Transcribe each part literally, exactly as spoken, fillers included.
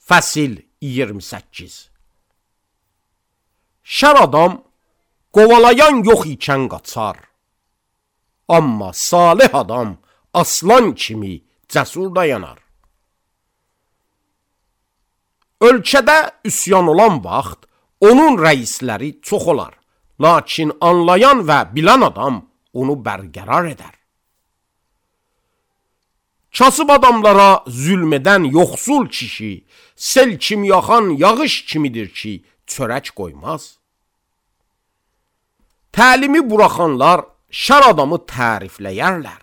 Fəsil iyirmi səkkiz. Şər adam qovalayan yox ikən qaçar, amma salih adam aslan kimi cəsur dayanar. Ölkədə üsyan olan vaxt onun rəisləri çox olar, lakin anlayan və bilən adam onu bərqərar edər. Kasıb adamlara zülm edən yoxsul kişi, sel kimi yaxan yağış kimidir ki, çörək qoymaz. Təlimi buraxanlar şər adamı tərifləyərlər,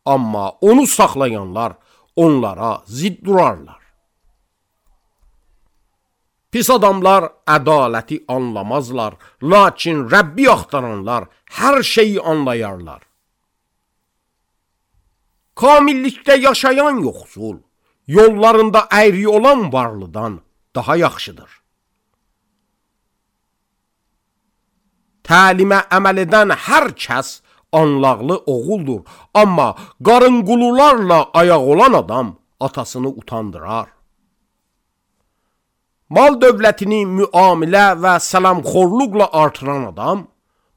amma onu saxlayanlar onlara zidd durarlar. Pis adamlar ədaləti anlamazlar, lakin Rəbbi axtaranlar hər şeyi anlayarlar. Kamillikdə yaşayan yoxsul, yollarında əyri olan varlıdan daha yaxşıdır. Təlimə əməl edən hər kəs anlaqlı oğuldur, amma qarınqulularla ayaq olan adam atasını utandırar. Mal dövlətini müamilə və sələmxorluqla artıran adam,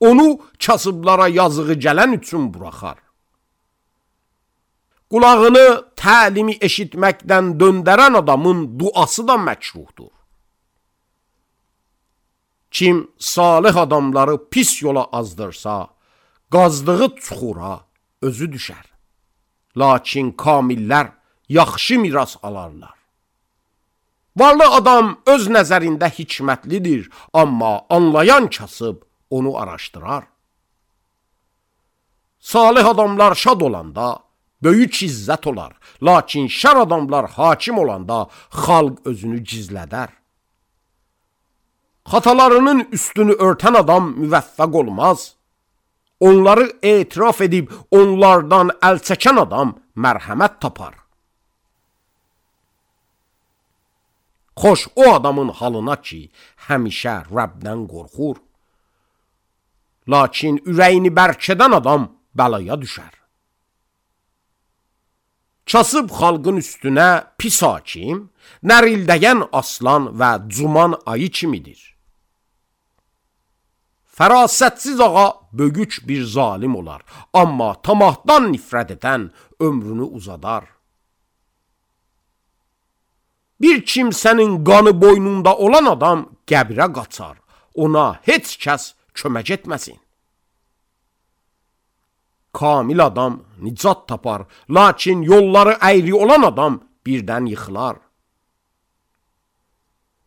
onu kasıblara yazığı gələn üçün buraxar. Qulağını təlimi eşitməkdən döndərən adamın duası da məkruhdur. Kim salih adamları pis yola azdırsa, qazdığı çuxura özü düşər. Lakin kamillər yaxşı miras alarlar. Varlı adam öz nəzərində hikmətlidir, amma anlayan kasıb onu araşdırar. Salih adamlar şad olanda böyük izzət olar, lakin şər adamlar hakim olanda xalq özünü gizlədər. Xatalarının üstünü örtən adam müvəffəq olmaz. Onları etiraf edib onlardan əl çəkən adam mərhəmət tapar. Xoş o adamın halına ki, həmişə Rəbdən qorxur. Lakin ürəyini bərkədən adam bəlaya düşər. Kasıb xalqın üstünə pis hakim, nərildəyən aslan və cuman ayı kimidir. Fərasətsiz ağa bölük bir zalim olar, amma tamahdan nifrət edən ömrünü uzadar. Bir kimsənin qanı boynunda olan adam qəbrə qaçar, ona heç kəs kömək etməsin. Kamil adam nicat tapar, lakin yolları əyri olan adam birdən yıxılar.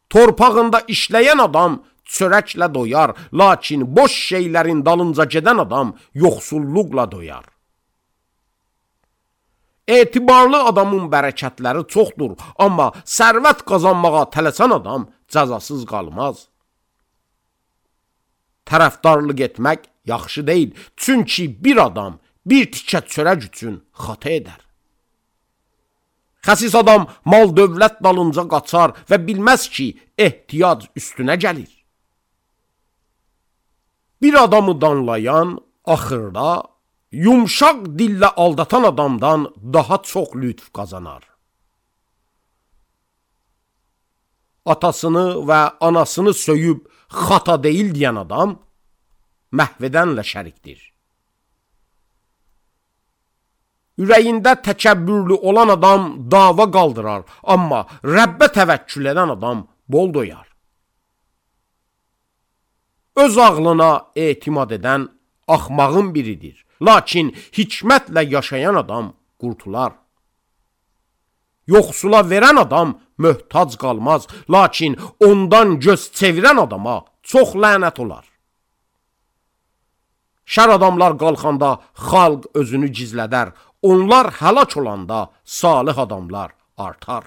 Torpağında işləyən adam çörəklə doyar, lakin boş şeylərin dalınca gedən adam yoxsulluqla doyar. Etibarlı adamın bərəkətləri çoxdur, amma sərvət qazanmağa tələsən adam cəzasız qalmaz. Tərəfdarlıq etmək yaxşı deyil, çünki bir adam bir tikə çörək üçün xata edər. Xəsis adam mal dövlət dalınca qaçar və bilməz ki, ehtiyac üstünə gəlir. Bir adamı danlayan axırda yumşaq dillə aldatan adamdan daha çox lütf qazanar. Atasını və anasını söyüb xata deyil deyən adam məhvedənlə şərikdir. Ürəyində təkəbbürlü olan adam dava qaldırar, amma Rəbbə təvəkkül edən adam bol doyar. Öz ağlına etimad edən axmağın biridir, lakin hikmətlə yaşayan adam qurtular. Yoxsula verən adam möhtac qalmaz, lakin ondan göz çevirən adama çox lənət olar. Şər adamlar qalxanda xalq özünü gizlədər, onlar həlak olanda salih adamlar artar.